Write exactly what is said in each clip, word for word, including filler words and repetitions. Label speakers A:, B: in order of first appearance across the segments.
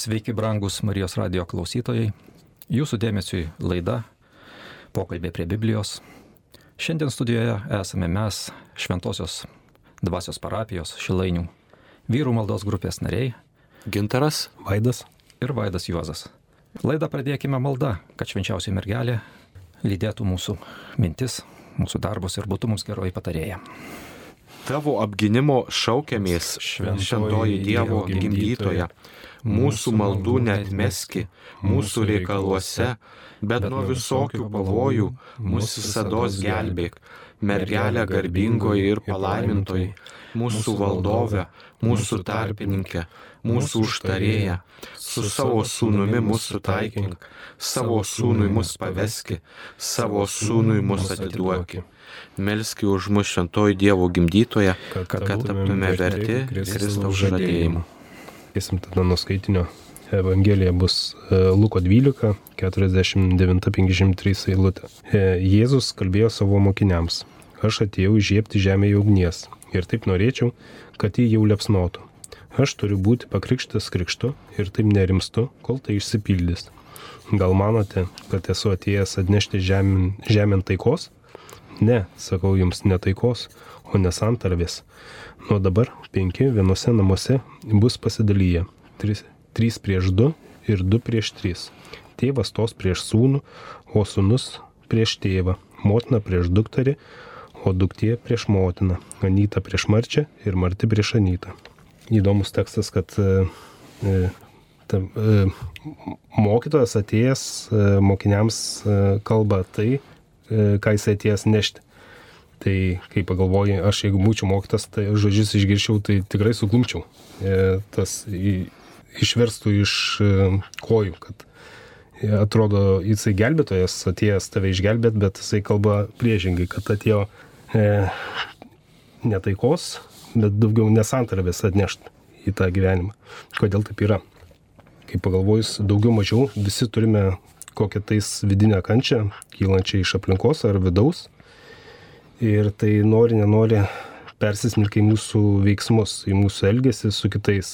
A: Sveiki, brangus Marijos radijo klausytojai. Jūsų dėmesiui laida Pokalbė prie Biblijos. Šiandien studijoje esame mes, Šventosios dvasios parapijos Šilainių vyrų maldos grupės nariai
B: Gintaras,
C: Vaidas
A: ir Vaidas Juozas. Laidą pradėkime malda, kad švenčiausioji mergelė lydėtų mūsų mintis, mūsų darbus ir būtų mums geroji patarėja.
B: Tavo apginimo šaukiamės, šventoji Dievo gimdytoja. Mūsų maldų neatmeski, mūsų reikaluose, bet nuo visokių pavojų mūsų visados gelbėk. Mergelė garbingoji ir palaimintoji, mūsų valdove, mūsų tarpininkė, mūsų užtarėja, su savo sūnumi mūsų taikink, savo sūnui mus paveski, savo sūnui mus atiduoki. Melski už mus šventoji Dievo gimdytoja, kad taptume verti Kristaus žadėjimų.
C: Eisim tada nuo skaitinio. Evangelija bus Luko dvylika, keturiasdešimt devyni penkiasdešimt trys eilutė. Jėzus kalbėjo savo mokiniams: Aš atėjau įžiebti žemėje ugnies ir taip norėčiau, kad jį jau liepsnotų. Aš turiu būti pakrikštas krikštu ir taip nerimstu, kol tai išsipildys. Gal manote, kad esu atėjęs atnešti žemėn, žemėn taikos? Ne, sakau jums, ne taikos, o nesantarvės. Nuo dabar penki vienose namuose bus pasidalyję. Trys, trys prieš du ir du prieš tris. Tėvas stos prieš sūnų, o sūnus prieš tėvą. Motina prieš dukterį, o duktė prieš motiną. Anyta prieš marčią ir marti prieš anytą. Įdomus tekstas, kad e, ta, e, mokytojas atėjęs e, mokiniams e, kalba tai, e, ką jis atėjęs nešti. Tai kai pagalvoji, aš jeigu būčiau mokytas, tai žodžius išgirčiau, tai tikrai suklumčiau. E, tas į, išverstų iš e, kojų, kad e, atrodo jisai gelbėtojas, atėjęs tave išgelbėt, bet jisai kalba priešingai, kad atėjo e, ne taikos, bet daugiau nesantarvės atnešti į tą gyvenimą. Kodėl taip yra? Kai pagalvojus, daugiau mažiau visi turime kokią tais vidinę kančią, kylančią iš aplinkos ar vidaus. Ir tai nori, nenori persismelkia į mūsų veiksmus, į mūsų elgesį su kitais.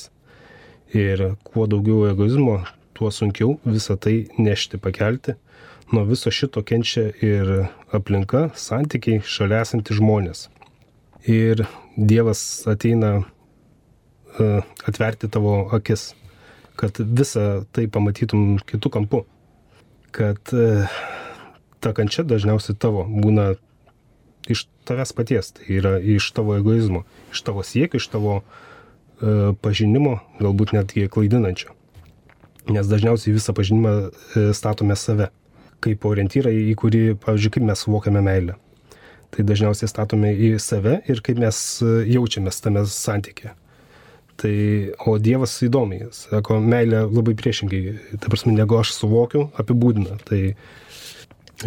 C: Ir kuo daugiau egoizmo, tuo sunkiau visą tai nešti, pakelti. Nuo viso šito kenčia ir aplinka, santykiai, šalia esantys žmonės. Ir Dievas ateina uh, atverti tavo akis, kad visą tai pamatytum kitų kampų. Kad uh, ta kančia dažniausiai tavo būna iš tavęs paties, tai yra iš tavo egoizmo, iš tavo siekio, iš tavo e, pažinimo, galbūt netgi klaidinančio. Nes dažniausiai visą pažinimą e, statome save, kaip orientyrą, į kurį, pavyzdžiui, kaip mes suvokiame meilę. Tai dažniausiai statome į save ir kaip mes jaučiamės tame santykė. Tai, o Dievas įdomiai, sako, meilė labai priešingai, ta prasme, negu aš suvokiu, apibūdina. Tai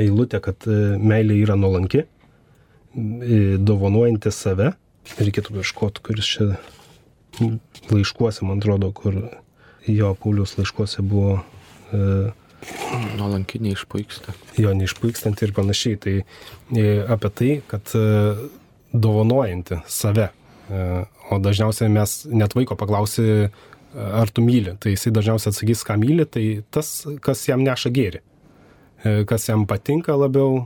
C: eilutė, kad meilė yra nuolanki, dovanuojanti save. Reikėtų ieškoti, kuris čia laiškuose, man atrodo, kur jo Pauliaus laiškuose buvo e,
B: nuolanki neišpuiksta. Jo,
C: neišpuikstant ir panašiai. Tai e, apie tai, kad e, dovanuojanti save. E, o dažniausiai mes net vaiko paklausi, ar tu myli. Tai jisai dažniausiai atsakys, ką myli, tai tas, kas jam neša gėrį. Kas jam patinka labiau,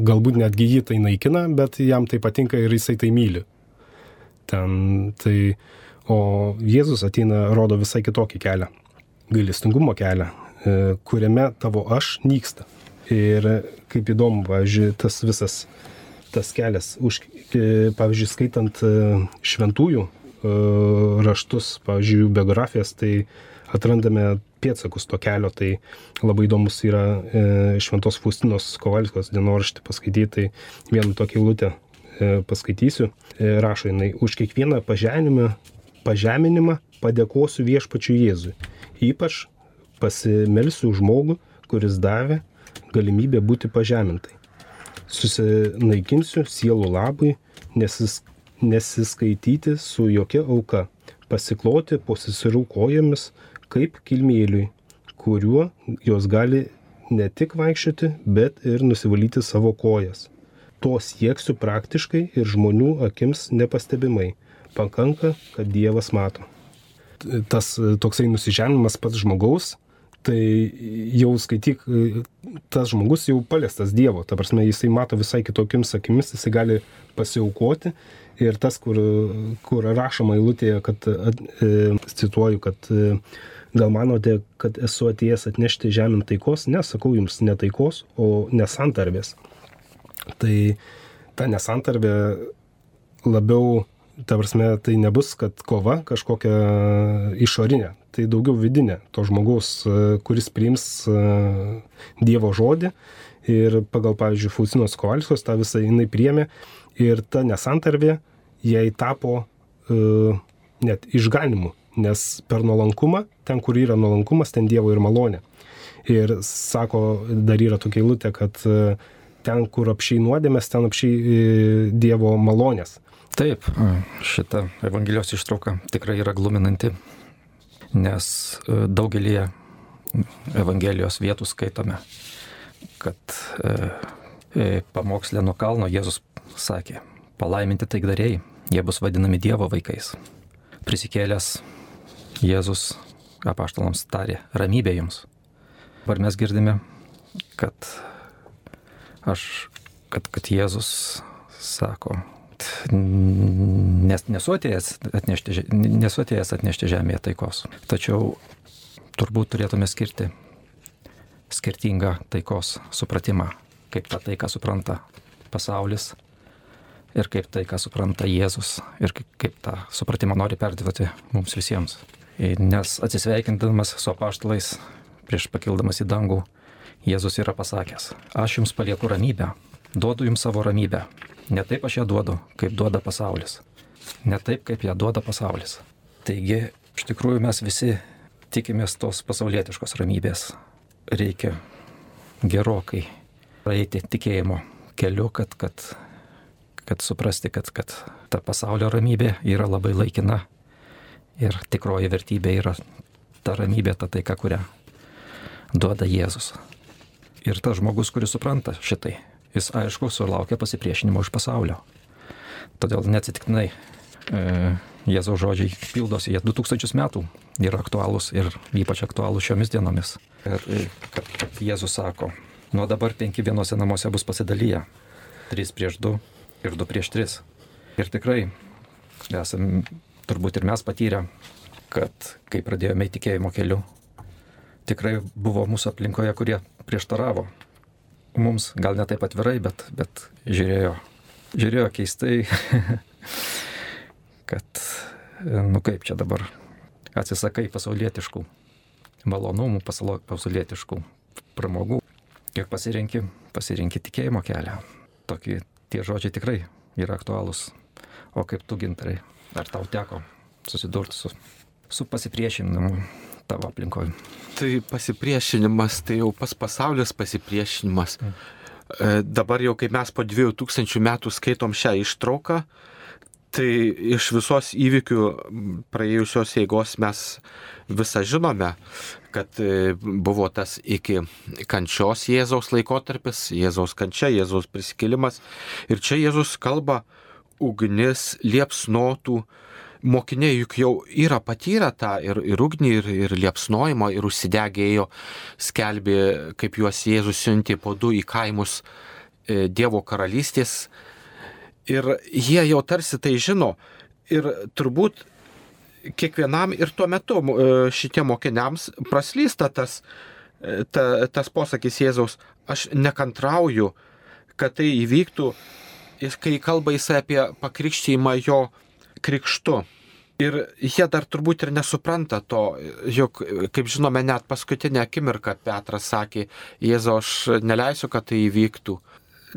C: galbūt netgi jį tai naikina, bet jam tai patinka ir jisai tai myli. Ten, tai, o Jėzus ateina, rodo visai kitokį kelią, gailestingumo kelią, kuriame tavo aš nyksta. Ir kaip įdomu, pavyzdžiui, tas visas, tas kelias, už, pavyzdžiui, skaitant šventųjų raštus, pavyzdžiui, biografijas, tai atrandame pėdsakus to kelio. Tai labai įdomus yra e, Šventos Faustinos Kovalskos dienoraštį paskaityti. Tai vieną tokią eilutę e, paskaitysiu. E, rašo jinai: už kiekvieną pažeminimą, pažeminimą padėkosiu viešpačiui Jėzui. Ypač pasimelsiu už žmogų, kuris davė galimybę būti pažemintai. Susinaikinsiu sielų labui, nesis, nesiskaityti su jokia auka, pasikloti po seserų kojomis, kaip kilmėliui, kuriuo jos gali ne tik vaikščioti, bet ir nusivalyti savo kojas. To sieksiu praktiškai ir žmonių akims nepastebimai. Pakanka, kad Dievas mato. tas toksai nusižemimas pats žmogaus, tai jau skaityk, tas žmogus jau paliestas Dievo, ta prasme, jisai mato visai kitokiams akimis, jisai gali pasiaukoti ir tas, kur, kur rašoma eilutėje, kad, e, cituoju, kad e, gal manote, kad esu atėjęs atnešti žemėn taikos, ne, sakau jums, ne taikos, o nesantarvės. Tai ta nesantarvė labiau, ta prasme, tai nebus, kad kova kažkokia išorinė, tai daugiau vidinė to žmogaus, kuris priims Dievo žodį ir pagal, pavyzdžiui, Faustinos Kovalskos tą visą jinai priėmė ir ta nesantarvė jai tapo uh, net išganimu, nes per nuolankumą, ten kur yra nuolankumas, ten Dievo ir malonė. Ir sako, dar yra tokia eilutė, kad uh, ten, kur apšiai nuodėmės, ten apšiai uh, Dievo malonės.
A: Taip, šita Evangelijos ištrauka tikrai yra gluminanti, nes daugelį Evangelijos vietų skaitome, kad e, pamokslė nuo kalno Jėzus sakė, palaiminti taikdariai, jie bus vadinami Dievo vaikais. Prisikėlęs Jėzus apaštalams tarė, ramybė jums. Dabar mes girdime, kad, aš, kad, kad Jėzus sako, Nes, nesu atėjęs atnešti, nesu atėjęs atnešti žemėje taikos. Tačiau turbūt turėtume skirti skirtingą taikos supratimą, kaip tą taiką supranta pasaulis ir kaip tai, ką supranta Jėzus ir kaip, kaip tą supratimą nori perduoti mums visiems. Nes atsisveikindamas su apaštalais prieš pakildamas į dangų, Jėzus yra pasakęs, aš jums palieku ramybę, duodu jums savo ramybę. Ne taip aš ją duodu, kaip duoda pasaulis. Ne taip, kaip ją duoda pasaulis. Taigi, iš tikrųjų mes visi tikimės tos pasaulietiškos ramybės. Reikia gerokai praeiti tikėjimo keliu, kad, kad, kad suprasti, kad, kad ta pasaulio ramybė yra labai laikina ir tikroji vertybė yra ta ramybė, ta taika, kurią duoda Jėzus. Ir tas žmogus, kuris supranta šitai, jis aišku sulaukia pasipriešinimo iš pasaulio. Todėl neatsitiktinai e, Jėzaus žodžiai pildosi, jie du tūkstančius metų yra aktualūs ir ypač aktualūs šiomis dienomis. Ir kad, kad Jėzus sako, nuo dabar penki vienose namuose bus pasidalyję, trys prieš du ir du prieš tris. Ir tikrai esam turbūt ir mes patyrę, kad kai pradėjome tikėjimo keliu, tikrai buvo mūsų aplinkoje, kurie prieštaravo. Mums gal ne taip atvirai, bet, bet žiūrėjo, žiūrėjo keistai, kad, nu kaip čia dabar, atsisakai pasaulietiškų malonumų, pasaulietiškų pramogų ir pasirenki, pasirenki tikėjimo kelią. Tokį, tie žodžiai tikrai yra aktualūs. O kaip tu, Gintarai, ar tau teko susidurti su, su pasipriešinimu tavo aplinkoje?
B: Tai pasipriešinimas, tai jau pas pasaulis pasipriešinimas. Mm. Dabar jau kaip mes po dviejų tūkstančių metų skaitom šią ištrauką, tai iš visos įvykių praėjusios eigos mes visą žinome, kad buvo tas iki kančios Jėzaus laikotarpis, Jėzaus kančia, Jėzaus prisikėlimas. Ir čia Jėzus kalba, ugnis liepsnotų. Mokiniai juk jau yra patyrę tą ir, ir ugnį, ir, ir liepsnojimą, ir užsidegėjo, skelbė, kaip juos Jėzus siuntė po du į kaimus e, Dievo karalystės. Ir jie jau tarsi tai žino. Ir turbūt kiekvienam ir tuo metu e, šitie mokiniams praslysta tas, e, ta, tas posakis Jėzaus, aš nekantrauju, kad tai įvyktų, kai kalba jisai apie pakrikštijimą jo krikštu. Ir jie dar turbūt ir nesupranta to, juk, kaip žinome, net paskutinę akimirką Petras sakė, Jėzau, aš neleisiu, kad tai įvyktų.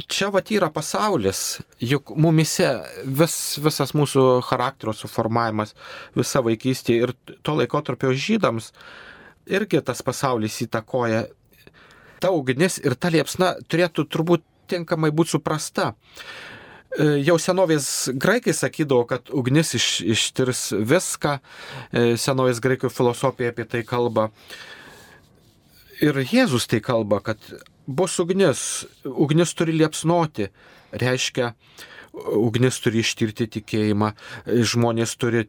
B: Čia vat yra pasaulis, juk mumise vis, visas mūsų charakterio suformavimas, visa vaikystė ir to laikotarpio žydams irgi tas pasaulis įtakoja. Ta ugnis ir ta liepsna turėtų turbūt tinkamai būti suprasta. Jau senovės graikai sakydavo, kad ugnis iš, ištirs viską, senovės graikų filosofija apie tai kalba. Ir Jėzus tai kalba, kad bus ugnis, ugnis turi liepsnoti, reiškia, ugnis turi ištirti tikėjimą, žmonės turi,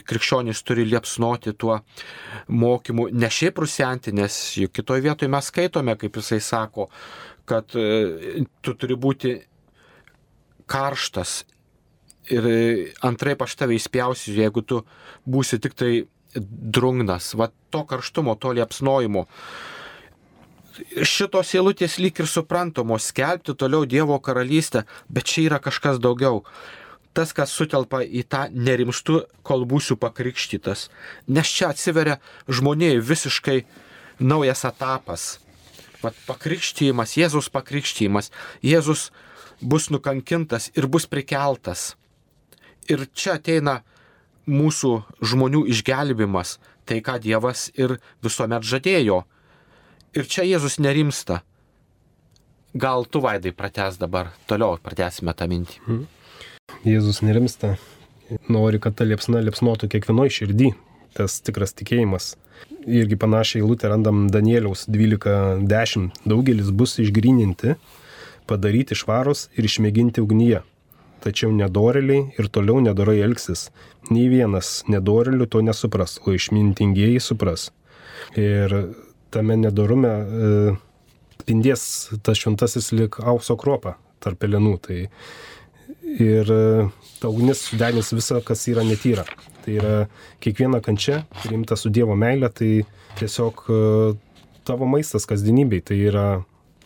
B: krikščionys turi liepsnoti tuo mokymu, ne šiaip rusenti, nes juk kitoje vietoje mes skaitome, kaip jisai sako, kad tu turi būti karštas ir antraip aš tave įspjausiu, jeigu tu būsi tik tai drungnas, va to karštumo, to liepsnojimo. Šitos eilutės lyg ir suprantamos, skelbti toliau Dievo karalystę, bet čia yra kažkas daugiau. Tas, kas sutelpa į tą nerimstu, kol būsiu pakrikštytas. Nes čia atsiveria žmonėjai visiškai naujas etapas. Vat pakrikštymas, Jėzus pakrikštymas, Jėzus bus nukankintas ir bus prikeltas. Ir čia ateina mūsų žmonių išgelbimas, tai ką Dievas ir visuomet žadėjo. Ir čia Jėzus nerimsta. Gal tu, Vaidai, pratęs dabar, toliau pratęsime tą mintį.
C: Hmm. Jėzus nerimsta, nori, kad ta liepsna liepsnotų kiekvienoj širdį, tas tikras tikėjimas. Irgi panašiai eilutę randam Danieliaus dvylika dešimt. Daugelis bus išgryninti, padaryti švarus ir išmėginti ugnyje. Tačiau nedorėliai ir toliau nedorai elgsis. Nei vienas nedorėlių to nesupras, o išmintingieji supras. Ir tame nedorume e, spindės tas šventasis lyg aukso kruopa tarp pelenų. Tai ir e, ta ugnis sudenys visą, kas yra netyra. Tai yra kiekviena kančia, priimta su Dievo meile, tai tiesiog e, tavo maistas kasdienybei. Tai yra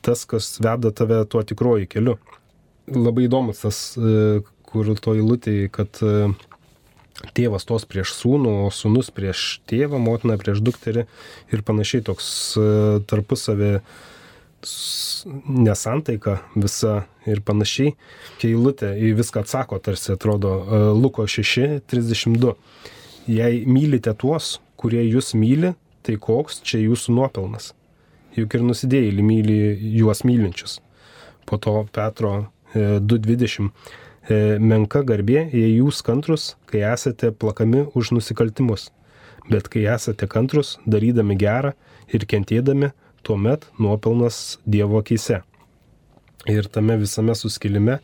C: tas, kas veda tave tuo tikruoju keliu. Labai įdomus tas, e, kur to eilutėje, kad e, tėvas tos prieš sūnų, o sūnus prieš tėvą, motina prieš dukterį ir panašiai toks tarpusavį nesantaika visa ir panašiai. Kai eilutė į viską atsako, tarsi atrodo Luko šeši trisdešimt du. Jei mylite tuos, kurie jūs myli, tai koks čia jūsų nuopelnas? Juk ir nusidėjėliai myli juos mylinčius. Po to Petro du dvidešimt. Menka garbė, jei jūs kantrus, kai esate plakami už nusikaltimus. Bet kai esate kantrus, darydami gerą ir kentėdami, tuomet nuopelnas Dievo akyse. Ir tame visame suskilime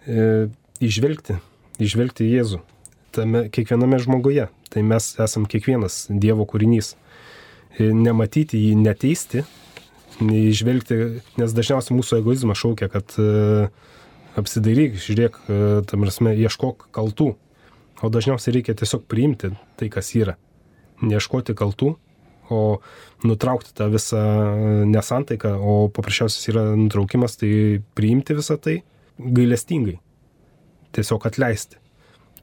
C: e, išvelgti, išvelgti Jėzų. Tame kiekviename žmoguje. Tai mes esam kiekvienas Dievo kūrinys. E, nematyti jį, neteisti, neižvelgti, nes dažniausiai mūsų egoizmas šaukia, kad e, apsidairyk, žiūrėk, tam prasme, ieškok kaltų. O dažniausiai reikia tiesiog priimti tai, kas yra. Neieškoti kaltų, o nutraukti tą visą nesantaiką, o paprasčiausias yra nutraukimas, tai priimti visą tai gailestingai. Tiesiog atleisti.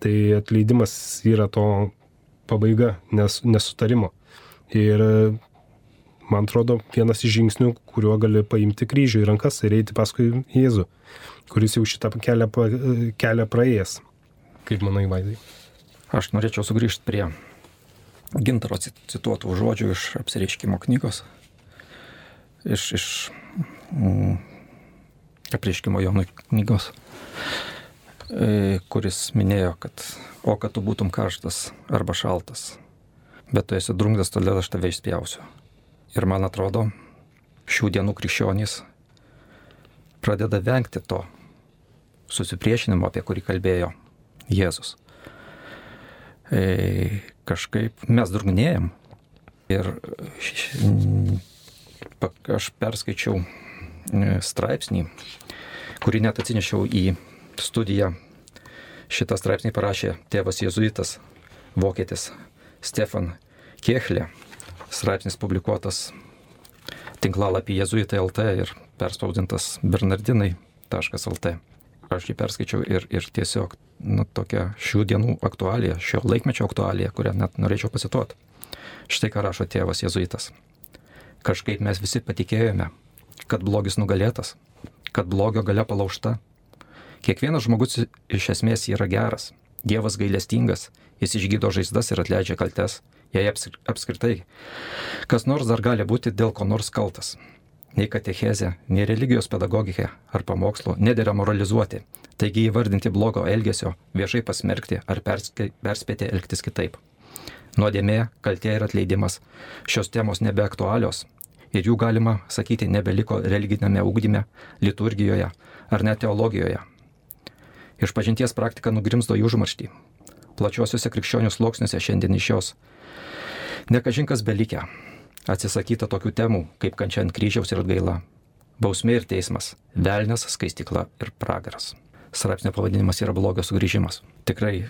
C: Tai atleidimas yra to pabaiga, nes, nesutarimo. Ir man atrodo, vienas iš žingsnių, kuriuo gali paimti kryžių į rankas ir eiti paskui Jėzų, kuris jau šitą kelią, kelią praėjęs. Kaip manai, Vaidai?
A: Aš norėčiau sugrįžti prie Gintaro cituotų žodžių iš Apsireiškimo knygos, iš, iš mm, Apreiškimo Jonui knygos, e, kuris minėjo, kad o kad tu būtum karštas arba šaltas, bet tu esi drungnas, todėl aš tave išspjausiu. Ir man atrodo, šių dienų krikščionys pradeda vengti to susipriešinimo, apie kurį kalbėjo Jėzus. E, kažkaip mes drungnėjam. Ir aš perskaičiau straipsnį, kurį net atsinešiau į studiją. Šitą straipsnį parašė tėvas jėzuitas, vokietis Stefan Kechlė. Straipsnis publikuotas tinklalapį jėzuitai taškas lt ir perspausdintas bernardinai taškas lt. Aš jį perskaičiau ir, ir tiesiog nu, tokia šių dienų aktualija, šio laikmečio aktualija, kurią net norėčiau pacituoti. Štai ką rašo tėvas jėzuitas. Kažkaip mes visi patikėjome, kad blogis nugalėtas, kad blogio galia palaužta. Kiekvienas žmogus iš esmės yra geras. Dievas gailestingas, jis išgydo žaizdas ir atleidžia kaltes. Jei apskritai, kas nors dar gali būti dėl ko nors kaltas. Nei katechezė, nei religijos pedagogikė ar pamokslo nedėra moralizuoti, taigi įvardinti blogo elgesio, viešai pasmerkti ar perspėti elgtis kitaip. Nuodėmė, kaltė ir atleidimas. Šios temos nebeaktualios ir jų galima sakyti nebeliko religinėme ugdyme, liturgijoje ar net teologijoje. Išpažinties praktika nugrimzdo į užmarštį. Plačiuosiuose krikščionių sluoksniuose šiandien iš jos nekažinkas belikę. Atsisakyta tokių temų, kaip kančia ant kryžiaus ir atgaila, bausmė ir teismas, velnias, skaistykla ir pragaras. Straipsnio pavadinimas yra blogio sugrįžimas. Tikrai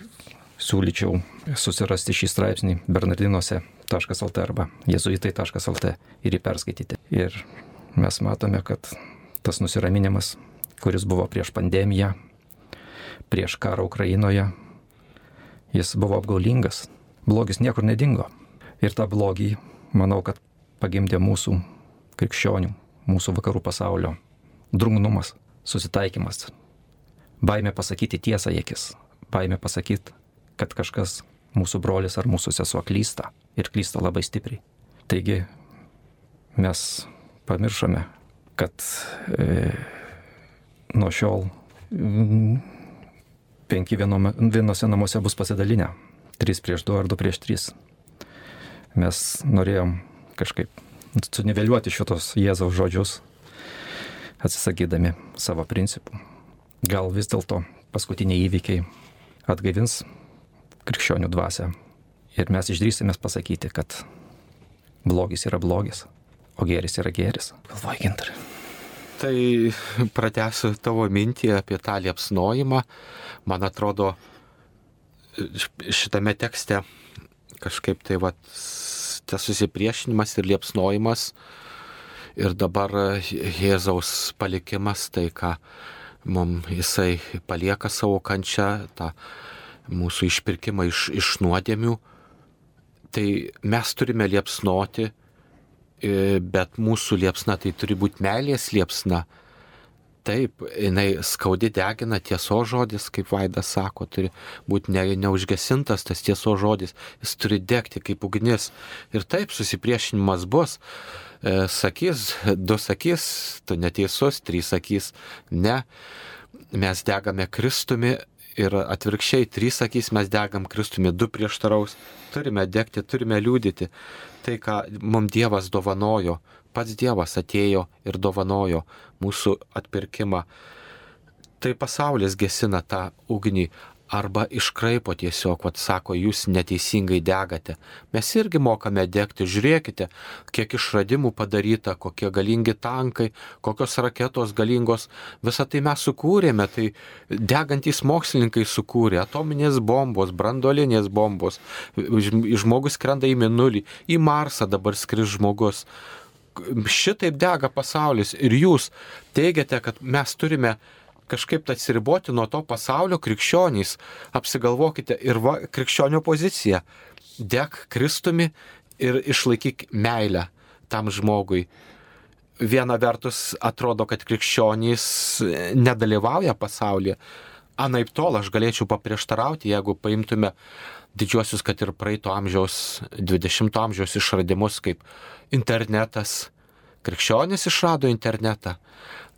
A: siūlyčiau susirasti šį straipsnį bernardinuose taškas lt arba jėzuitai taškas lt ir jį perskaityti. Ir mes matome, kad tas nusiraminimas, kuris buvo prieš pandemiją, prieš karą Ukrainoje, jis buvo apgaulingas. Blogis niekur nedingo. Ir tą blogį, manau, kad pagimdė mūsų krikščionių, mūsų vakarų pasaulio drungnumas, susitaikymas, baimė pasakyti tiesą į akis, baimė pasakyti, kad kažkas mūsų brolis ar mūsų sesuo klysta ir klysta labai stipriai. Taigi mes pamiršome, kad e, nuo šiol mm, penki vienome, vienose namuose bus pasidalinę, trys prieš du ar du prieš tris. Mes norėjom kažkaip suniveliuoti šitos Jėzaus žodžius, atsisakydami savo principų. Gal vis dėlto paskutiniai įvykiai atgaivins krikščionių dvasią ir mes išdrįsime pasakyti, kad blogis yra blogis, o gėris yra gėris. Galvoju, Gintarai.
B: Tai pratęsiu tavo mintį apie tą liepsnojimą. Man atrodo, šitame tekste kažkaip tai va, tas susipriešinimas ir liepsnojimas ir dabar Jėzaus palikimas, tai ką mums jisai palieka savo kančią, tą mūsų išpirkimą iš, iš nuodėmių, tai mes turime liepsnoti, bet mūsų liepsna tai turi būti meilės liepsna. Taip, jinai skaudi degina, tiesos žodis, kaip Vaidas sako, turi būti ne, neužgesintas tas tiesos žodis, jis turi degti kaip ugnis. Ir taip susipriešinimas bus, e, sakys, du sakys, tu neteisus, trys sakys, ne, mes degame Kristumi ir atvirkščiai, trys sakys, mes degam Kristumi, du prieštaraus, turime degti, turime liūdyti. Tai, ką mums Dievas dovanojo, pats Dievas atėjo ir dovanojo mūsų atpirkimą. Tai pasaulis gesina tą ugnį arba iškraipo tiesiog, vat sako, jūs neteisingai degate. Mes irgi mokame degti, žiūrėkite, kiek išradimų padaryta, kokie galingi tankai, kokios raketos galingos, visą tai mes sukūrėme, tai degantys mokslininkai sukūrė, atominės bombos, branduolinės bombos, žmogus skrenda į Mėnulį, į Marsą dabar skris žmogus. Šitaip dega pasaulis ir jūs teigiate, kad mes turime kažkaip atsiriboti nuo to pasaulio, krikščionys, apsigalvokite ir va, krikščionio poziciją, deg Kristumi ir išlaikyk meilę tam žmogui. Viena vertus atrodo, kad krikščionys nedalyvauja pasaulyje, anaip tol aš galėčiau paprieštarauti, jeigu paimtume didžiuosius, kad ir praeito amžiaus, dvidešimto amžiaus išradimus kaip internetas. Krikščionys išrado internetą.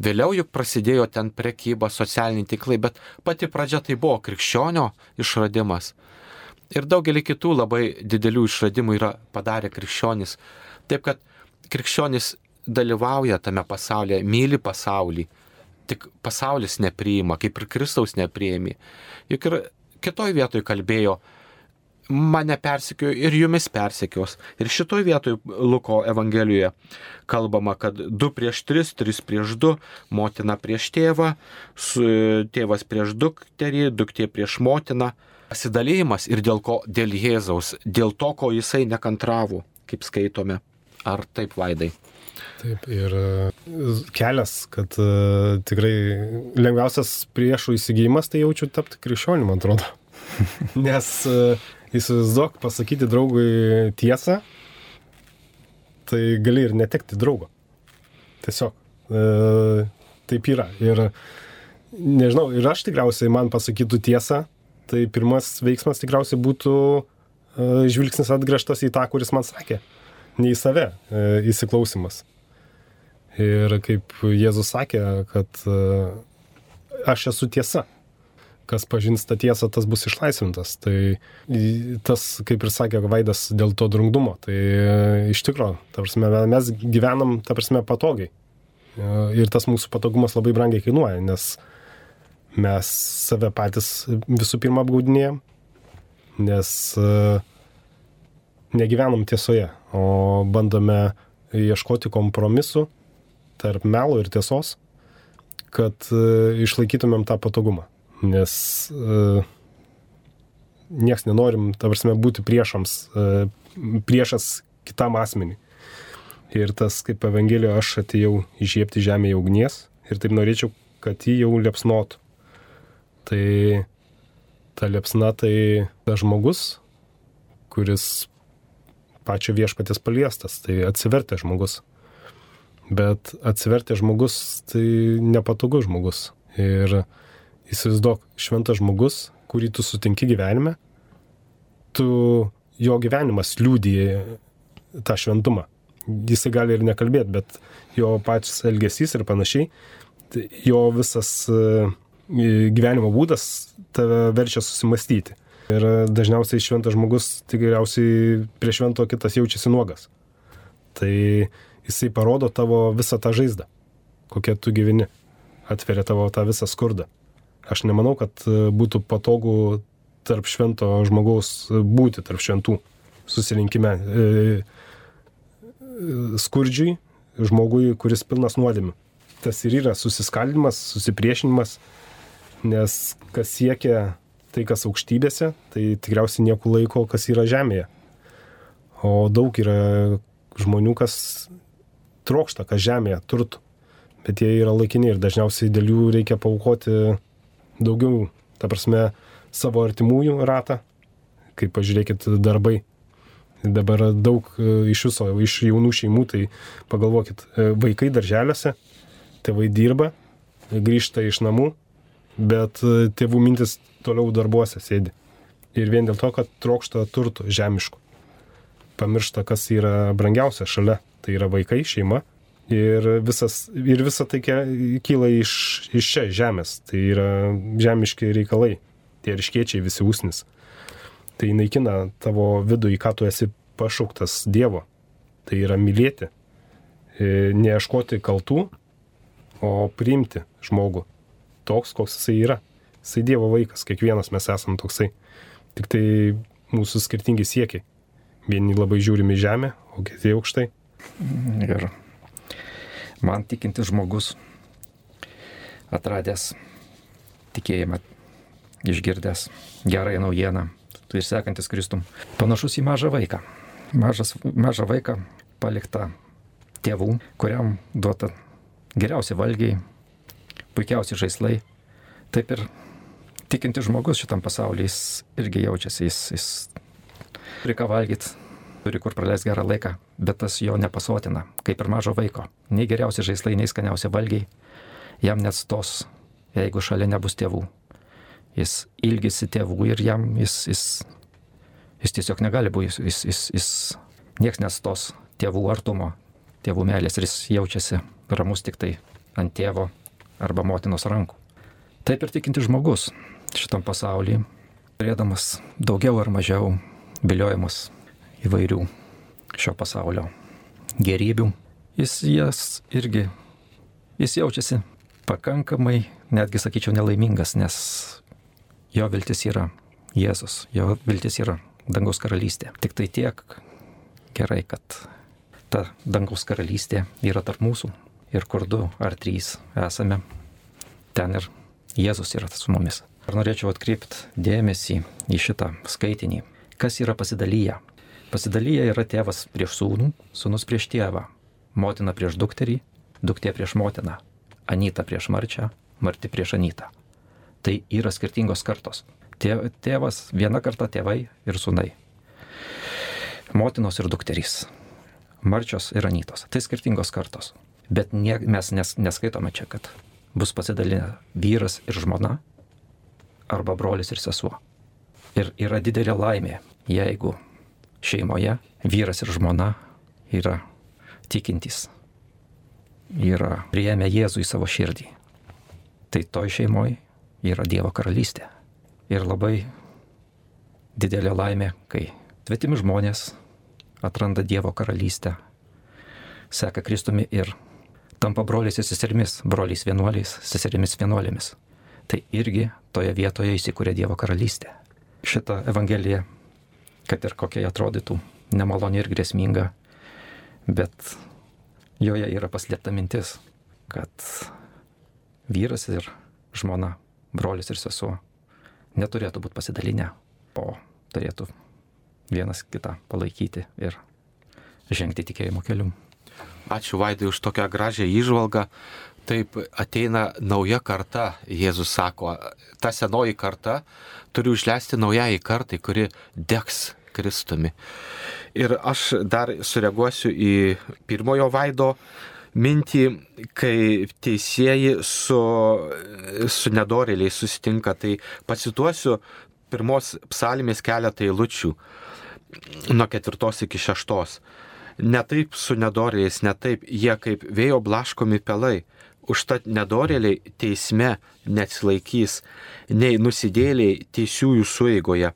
B: Vėliau juk prasidėjo ten prekyba, socialiniai tinklai, bet pati pradžia tai buvo krikščionio išradimas. Ir daugelį kitų labai didelių išradimų yra padarę krikščionys. Taip, kad krikščionys dalyvauja tame pasaulyje, myli pasaulį, tik pasaulis nepriima, kaip ir Kristaus nepriimi. Juk ir kitoj vietoj kalbėjo, mane persekiojo ir jumis persekios. Ir šitoj vietoj Luko Evangelijoje kalbama, kad du prieš tris, tris prieš du, motina prieš tėvą, tėvas prieš dukterį, duktė prieš motiną. Pasidalymas ir dėl ko? Dėl Jėzaus, dėl to, ko jisai nekantravo, kaip skaitome. Ar taip, Vaidai?
C: Taip, ir kelias, kad uh, tikrai lengviausias priešų įsigijimas, tai jaučiu tapti krikščioniu, man atrodo. Nes uh, įsivaizduok, pasakyti draugui tiesą, tai gali ir netekti draugo. Tiesiog. E, taip yra. Ir nežinau, ir aš tikriausiai man pasakytų tiesą, tai pirmas veiksmas tikriausiai būtų e, žvilgsnis atgręžtas į tą, kuris man sakė. Ne į save e, įsiklausimas. Ir kaip Jėzus sakė, kad e, aš esu tiesa. Kas pažins tą tiesą, tas bus išlaisvintas. Tai tas, kaip ir sakė Vaidas, dėl to drungnumo. Tai iš tikro, ta prasme, mes gyvenam, ta prasme, patogiai. Ir tas mūsų patogumas labai brangiai kainuoja, nes mes save patys visų pirma apgaudinėjom, nes negyvenam tiesoje, o bandome ieškoti kompromisų tarp melo ir tiesos, kad išlaikytumėm tą patogumą. Nes nieks nenorim, ta prasme, būti priešams, priešas kitam asmeniui. Ir tas, kaip Evangelijoje, aš atėjau įžiebti žemėje ugnies ir taip norėčiau, kad jį jau liepsnotų. Tai ta liepsna tai tas žmogus, kuris pačio viešpaties paliestas, tai atsivertė žmogus. Bet atsivertė žmogus, tai nepatogus žmogus. Ir įsivaizduok, šventas žmogus, kurį tu sutinki gyvenime, tu, jo gyvenimas liudija tą šventumą. Jisai gali ir nekalbėti, bet jo pačias elgesys ir panašiai, jo visas gyvenimo būdas tave verčia susimastyti. Ir dažniausiai šventas žmogus tikriausiai prie švento kitas jaučiasi nuogas. Tai jisai parodo tavo visą tą žaizdą, kokia tu gyveni, atveria tavo tą visą skurdą. Aš nemanau, kad būtų patogu tarp švento žmogaus būti, tarp šventų susirinkime. Skurdžiui, žmogui, kuris pilnas nuodėmių. Tas ir yra susiskaldimas, susipriešinimas, nes kas siekia tai, kas aukštybėse, tai tikriausiai nieku laiko, kas yra žemėje. O daug yra žmonių, kas trokšta, kas žemėje, turtų, bet jie yra laikini ir dažniausiai dėl jų reikia paaukoti daugiau, ta prasme, savo artimųjų ratą, kaip pažiūrėkit darbai. Dabar daug iš viso, iš jaunų šeimų, tai pagalvokit, vaikai darželiuose, tėvai dirba, grįžta iš namų, bet tėvų mintis toliau darbuose sėdi. Ir vien dėl to, kad trokšta turtų žemiškų. Pamiršta, kas yra brangiausia šalia, tai yra vaikai, šeima. Ir, visas, ir visa tai kyla iš, iš čia žemės, tai yra žemiški reikalai, tie riškiečiai visi usnis. Tai naikina tavo vidų, į ką tu esi pašauktas Dievo. Tai yra mylėti, neieškoti kaltų, o priimti žmogų toks, koks jisai yra. Jisai Dievo vaikas, kiekvienas mes esam toksai. Tik tai mūsų skirtingi siekiai. Vieni labai žiūrime į žemę, o kiti aukštai.
A: Ir man tikintis žmogus, atradęs tikėjimą, išgirdęs gerąją naujieną, ir sekantis Kristum, panašus į mažą vaiką. Mažas, mažą vaiką paliktą tėvų, kuriam duota geriausi valgiai, puikiausi žaislai. Taip ir tikintis žmogus šitam pasaulyje, jis irgi jaučiasi, jis, jis turi ką valgyti, turi kur praleisti gerą laiką, bet tas jo nepasotina, kaip ir mažo vaiko. Nei geriausi žaislai, nei skaniausi valgiai jam neatstos, jeigu šalia nebus tėvų. Jis ilgisi tėvų ir jam jis, jis, jis tiesiog negali būti, jis, jis, jis nieks nestos tėvų artumo, tėvų meilės ir jis jaučiasi ramus tik tai ant tėvo arba motinos rankų. Taip ir tikinti žmogus šitam pasaulyje, turėdamas daugiau ar mažiau viliojimus įvairių šio pasaulio gerybių, jis jas irgi, jis jaučiasi pakankamai, netgi sakyčiau, nelaimingas, nes jo viltis yra Jėzus, jo viltis yra dangaus karalystė. Tik tai tiek gerai, kad ta dangaus karalystė yra tarp mūsų ir kur du ar trys esame, ten ir Jėzus yra su mumis. Ar norėčiau atkreipti dėmesį į šitą skaitinį. Kas yra pasidalyję? Pasidalyję yra tėvas prieš sūnų, sūnus prieš tėvą, motina prieš dukterį, duktė prieš motiną, anyta prieš marčią, marti prieš anytą. Tai yra skirtingos kartos. Tėvas, viena karta tėvai ir sūnai. Motinos ir dukterys. Marčios ir anytos. Tai skirtingos kartos. Bet nie, mes nes, neskaitome čia, kad bus pasidalinę vyras ir žmona arba brolis ir sesuo. Ir yra didelė laimė, jeigu šeimoje vyras ir žmona yra tikintys, yra priėmę Jėzų į savo širdį. Tai toj šeimoje yra Dievo karalystė. Ir labai didelė laimė, kai svetimi žmonės atranda Dievo karalystę, seka Kristumi ir tampa broliais ir seserimis, broliais vienuoliais, seserimis vienuolėmis. tai irgi toje vietoje įsikūrė Dievo karalystė. Šita Evangelija, kad ir kokia atrodytų nemaloni ir grėsminga, bet joje yra paslėpta mintis, kad vyras ir žmona, brolis ir sesuo neturėtų būti pasidalinę, o turėtų vienas kitą palaikyti ir žengti tikėjimo keliu.
B: Ačiū Vaidai už tokią gražią įžvalgą. Taip ateina nauja karta, Jėzus sako, ta senoji karta turi užleisti naujai kartai, kuri degs Kristumi. Ir aš dar sureaguosiu į pirmojo Vaido mintį, kai teisėjai su, su nedorėliais susitinka. Tai pacituosiu pirmos psalmės keletą eilučių nuo ketvirtos iki šeštos. Ne taip su nedorėliais, ne taip, jie kaip vėjo blaškomi pelai. Užtat nedorėliai teisme neatsilaikys, nei nusidėliai teisiųjų sueigoje.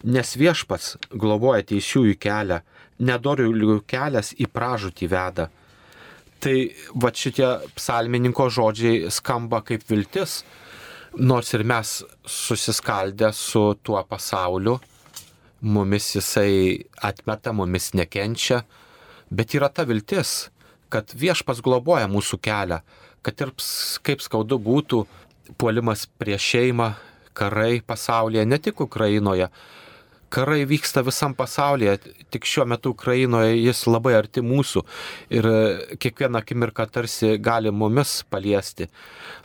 B: Nes viešpats globoja teisiųjų kelią, nedorėlių kelias į pražūtį veda. Tai va šitie psalmininko žodžiai skamba kaip viltis, nors ir mes susiskaldę su tuo pasauliu, mumis jisai atmeta, mumis nekenčia, bet yra ta viltis, kad viešpats globoja mūsų kelią, kad ir kaip skaudu būtų puolimas prieš šeimą, karai pasaulyje, ne tik Ukrainoje. Karai vyksta visam pasaulyje, tik šiuo metu Ukrainoje jis labai arti mūsų ir kiekvieną akimirką tarsi gali mumis paliesti.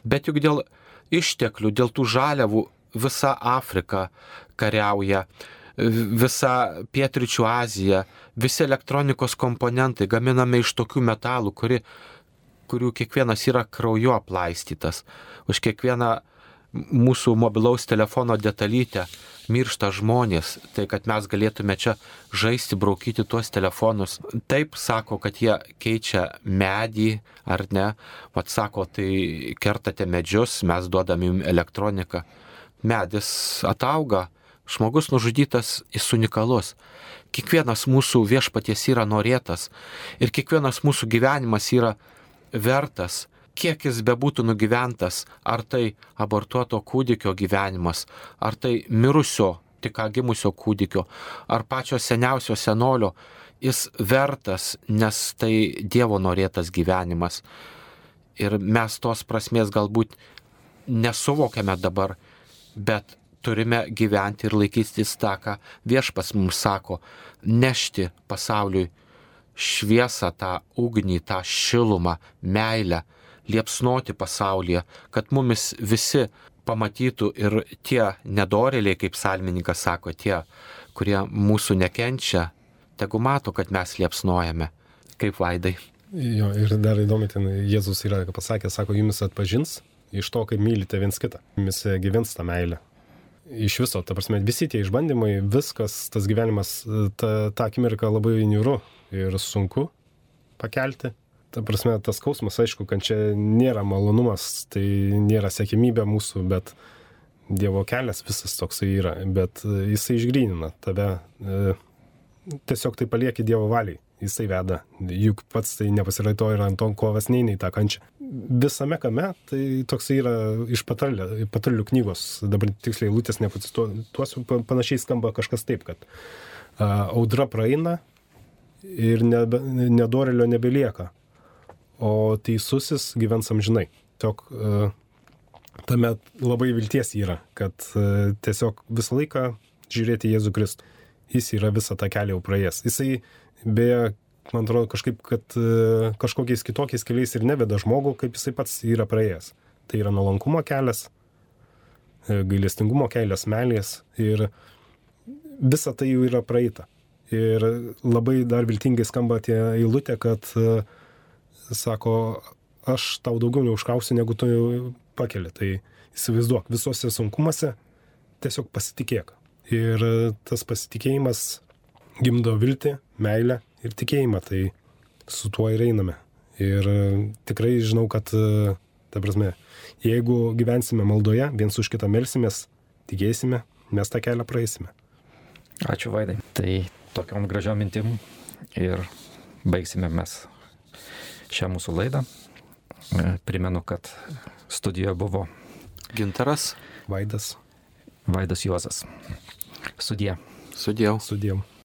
B: Bet juk dėl išteklių, dėl tų žaliavų visa Afrika kariauja, visa Pietryčių Azija, visi elektronikos komponentai gaminami iš tokių metalų, kuri, kurių kiekvienas yra krauju aplaistytas. Už kiekvieną mūsų mobilaus telefono detalytę miršta žmonės, tai kad mes galėtume čia žaisti, braukyti tuos telefonus. Taip sako, kad jie keičia medį, ar ne? Vat sako, tai kertate medžius, mes duodame jums elektroniką. Medis atauga, žmogus nužudytas, jis unikalus. Kiekvienas mūsų viešpaties yra norėtas ir kiekvienas mūsų gyvenimas yra vertas, kiek jis bebūtų nugyventas, ar tai abortuoto kūdikio gyvenimas, ar tai mirusio, tik ką gimusio kūdikio, ar pačio seniausio senolio, jis vertas, nes tai Dievo norėtas gyvenimas. Ir mes tos prasmės galbūt nesuvokiame dabar, bet turime gyventi ir laikytis tą, ką viešpas mums sako, nešti pasauliui šviesą, tą ugnį, tą šilumą, meilę, liepsnoti pasaulyje, kad mumis visi pamatytų ir tie nedorėliai, kaip psalmininkas sako, tie, kurie mūsų nekenčia, tegu mato, kad mes liepsnojame. Kaip Vaidai.
C: Jo, ir dar įdomi, ten Jėzus yra pasakęs, sako, jumis atpažins iš to, kaip mylite viens kitą. Jumis gyvens tą meilę. Iš viso, ta prasme, visi tie išbandymai, viskas, tas gyvenimas, ta, ta akimirka labai niūru ir sunku pakelti. Ta prasme, tas skausmas, aišku, kad čia nėra malonumas, tai nėra siekimybė mūsų, bet Dievo kelias visas toksai yra, bet jisai išgrynina tave, e, tiesiog tai palieki Dievo valiai, jisai veda, juk pats tai nepasiraito ir ant to kovas neina į tą kančią. Visame kame, tai toksai yra iš patarlių, patarlių knygos, dabar tiksliai lūtės nepacituosiu, panašiai skamba kažkas taip, kad a, audra praeina ir nebe, nedorėlio nebelieka, o teisusis gyvens amžinai. Tiesiog uh, tame labai vilties yra, kad uh, tiesiog visą laiką žiūrėti Jėzų Kristų. Jis yra visą tą kelią jau praėjęs. Jisai, beje, man atrodo, kažkaip, kad uh, kažkokiais kitokiais keliais ir neveda žmogų, kaip jisai pats yra praėjęs. Tai yra nuolankumo kelias, gailestingumo kelias, meilės ir visa tai jau yra praeita. Ir labai dar viltingai skamba tie eilutė, kad uh, sako, aš tau daugiau neužkrausiu, negu tu pakeli. Tai įsivaizduok, visose sunkumuose tiesiog pasitikėk. Ir tas pasitikėjimas gimdo viltį, meilę ir tikėjimą. Tai su tuo ir einame. Ir tikrai žinau, kad, ta prasme, jeigu gyvensime maldoje, viens už kitą melsimės, tikėsime, mes tą kelią praeisime.
A: Ačiū, Vaidai. Tai tokiom gražiom mintim ir baigsime mes šią mūsų laidą. Primenu, kad studijoje buvo
B: Gintaras.
C: Vaidas.
A: Vaidas Juozas. Sudie.
B: Sudiev.
C: Sudiev.